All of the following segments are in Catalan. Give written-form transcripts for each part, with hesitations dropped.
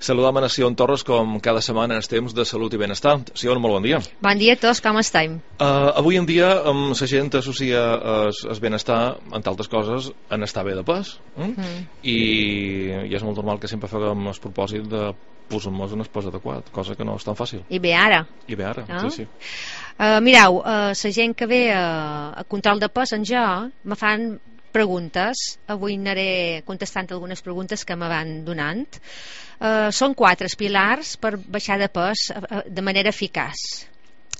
Saludam a Sion Torres com cada setmana en els temps de salut i benestar. Sion, molt bon dia. Bon dia a tots, com estem? Avui en dia la gent associa el benestar, entre altres coses, en estar bé de pes. I és molt normal que sempre fem el propòsit de posar-nos un pes adequat, cosa que no és tan fàcil. I bé ara. Sí. Mireu, la gent que ve a control de pes en jo me fan preguntes. Avui aniré contestant algunes preguntes que me van donant. Són 4 pilars per baixar de pes de manera eficaç.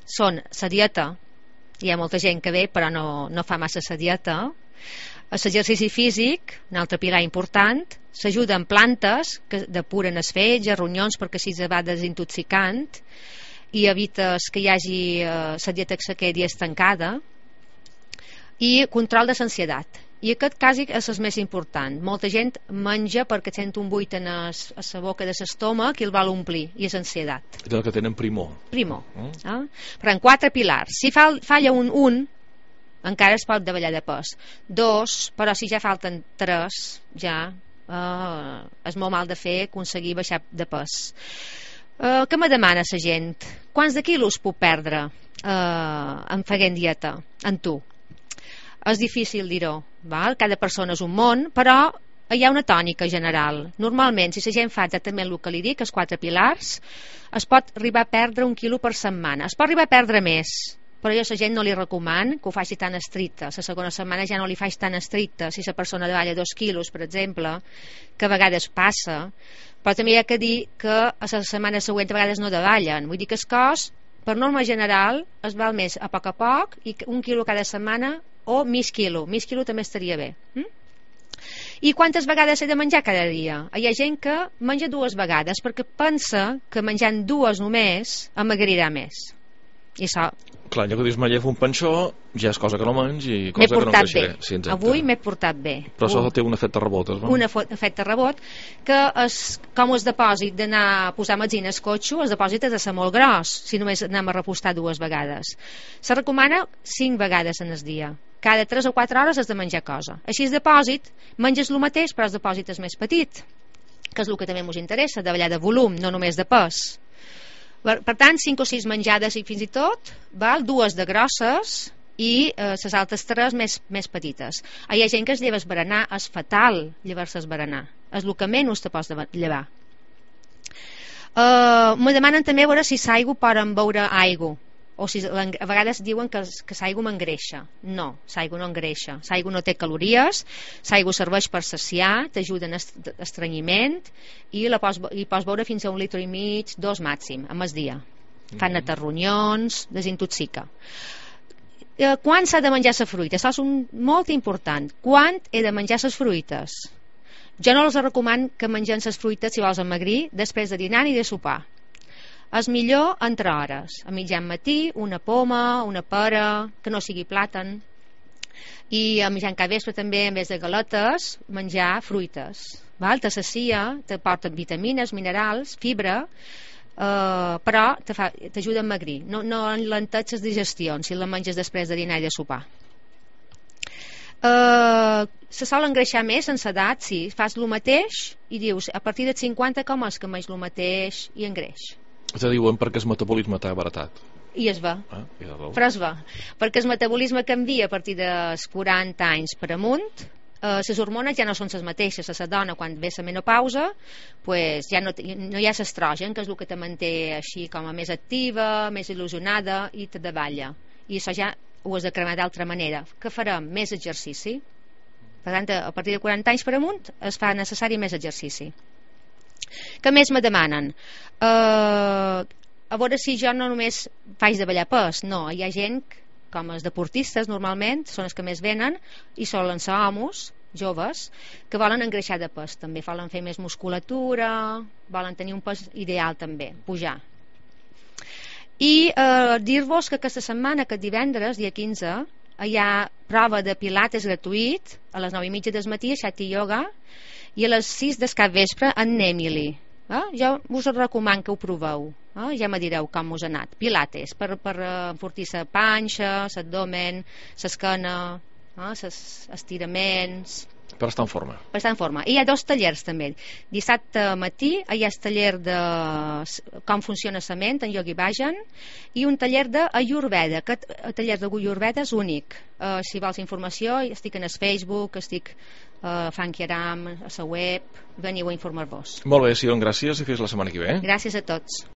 Són la dieta, hi ha molta gent que ve però no fa massa la dieta, l'exercici físic, un altre pilar important, s'ajuda amb plantes que depuren els fetge, ronyons, perquè així es va desintoxicant i evites que hi hagi la dieta que se quedi estancada, i control de l'ansietat. I aquest quasi és el més important. Molta gent menja perquè sent un buit a la boca de l'estómac i el vol omplir, i és ansietat. És el que tenen primor. Però en 4 pilars. Si falla un, encara es pot davallar de pes. 2, però si ja falten 3, ja és molt mal de fer aconseguir baixar de pes. Què me demana la gent? Quants de quilos puc perdre en fent dieta? En tu? És difícil dir-ho, cada persona és un món, però hi ha una tònica general. Normalment, si la gent fa exactament el que li dic, els 4 pilars, es pot arribar a perdre 1 quilo per setmana. Es pot arribar a perdre més, però jo a la gent no li recomano que ho faci tan estricte. La segona setmana ja no li faig tan estricte. Si la persona davalla 2 quilos, per exemple, que a vegades passa, però també hi ha que dir que a la setmana següent a vegades no davallen. Vull dir que el cos, per norma general, es val més a poc, i 1 quilo cada setmana o mig quilo també estaria bé. I quantes vegades he de menjar cada dia? Hi ha gent que menja 2 vegades perquè pensa que menjant 2 només emagrirà més, i això... Clar, ja que dius m'he un panxó, ja és cosa que no menys i cosa que no creixeré. Sí, avui m'he portat bé. Però això té un efecte rebot, un efecte rebot, que és com el depòsit d'anar a posar benzina al cotxe. El depòsit ha de ser molt gros si només anem a repostar 2 vegades. Se recomana 5 vegades en el dia. Cada 3 o 4 hores has de menjar cosa. Així el depòsit, menges el mateix però el depòsit és més petit, que és el que també ens interessa, de ballar de volum, no només de pes. Per tant, 5 o 6 menjades i fins i tot, 2 de grosses i les altres 3 més petites. Hi ha gent que es lleva el berenar, és fatal llevar-se el berenar, és el que menys te pots llevar. Me demanen també veure si l'aigua poden beure aigua, o si a vegades diuen que l'aigua m'engreixa. No, l'aigua no engreixa, l'aigua no té calories, l'aigua serveix per saciar, t'ajuda en estrenyiment i pots beure fins a 1,5 litres, 2 màxim, a mes dia. Fa netar ronyons, desintoxica. Quan s'ha de menjar la fruita? Això és molt important. Quan he de menjar les fruites? Jo no els recomano que mengem les fruites, si vols emagrir, després de dinar i de sopar. És millor entre hores, a mitjan matí, una poma, una pera, que no sigui plàtan, i a mitjan capvespre també, en vez de galetes, menjar fruites. Te sacia, t'aporten vitamines, minerals, fibra, però t'ajuda a emagrir. No enlenteix les digestions si la menges després de dinar i de sopar. Se sol engreixar més en l'edat, sí, fas el mateix i dius, a partir de 50 com és que menys el mateix i engreix. Te diuen perquè el metabolisme t'ha abaratat. I es va, però es va, perquè el metabolisme canvia a partir dels 40 anys per amunt. Les hormones ja no són les mateixes. A la dona, quan ve la menopausa, ja no hi ha l'estrogen, que és el que te manté així com a més activa, més il·lusionada, i te davalla. I això ja ho has de cremar d'altra manera. Què farem? Més exercici. Per tant, a partir de 40 anys per amunt es fa necessari més exercici. Què més me demanen? A veure si jo no només faig de ballar pes. No, hi ha gent, com els deportistes normalment, són els que més venen, i solen ser homes joves que volen engreixar de pes, també volen fer més musculatura, volen tenir un pes ideal també, pujar. I dir-vos que aquesta setmana, aquest divendres, dia 15, hi ha prova de pilates gratuït a les 9:30 del matí a Shakti Yoga, i a les 6 del capvespre en Emily. Jo us recomano que ho proveu. Ja me direu com us ha anat. Pilates, per enfortir la panxa, l'abdomen, l'esquena, els estiraments, Per estar en forma. Per estar en forma. I hi ha 2 tallers també. Dissabte matí hi ha el taller de com funciona la ment en Yogi Bhajan i un taller d'Ayurveda. Aquest taller d'Ayurveda és únic. Si vols informació, estic en el Facebook, estic a Funky Aram, a la web, veniu a informar-vos. Molt bé, Sion, gràcies i fins la setmana que ve. Gràcies a tots.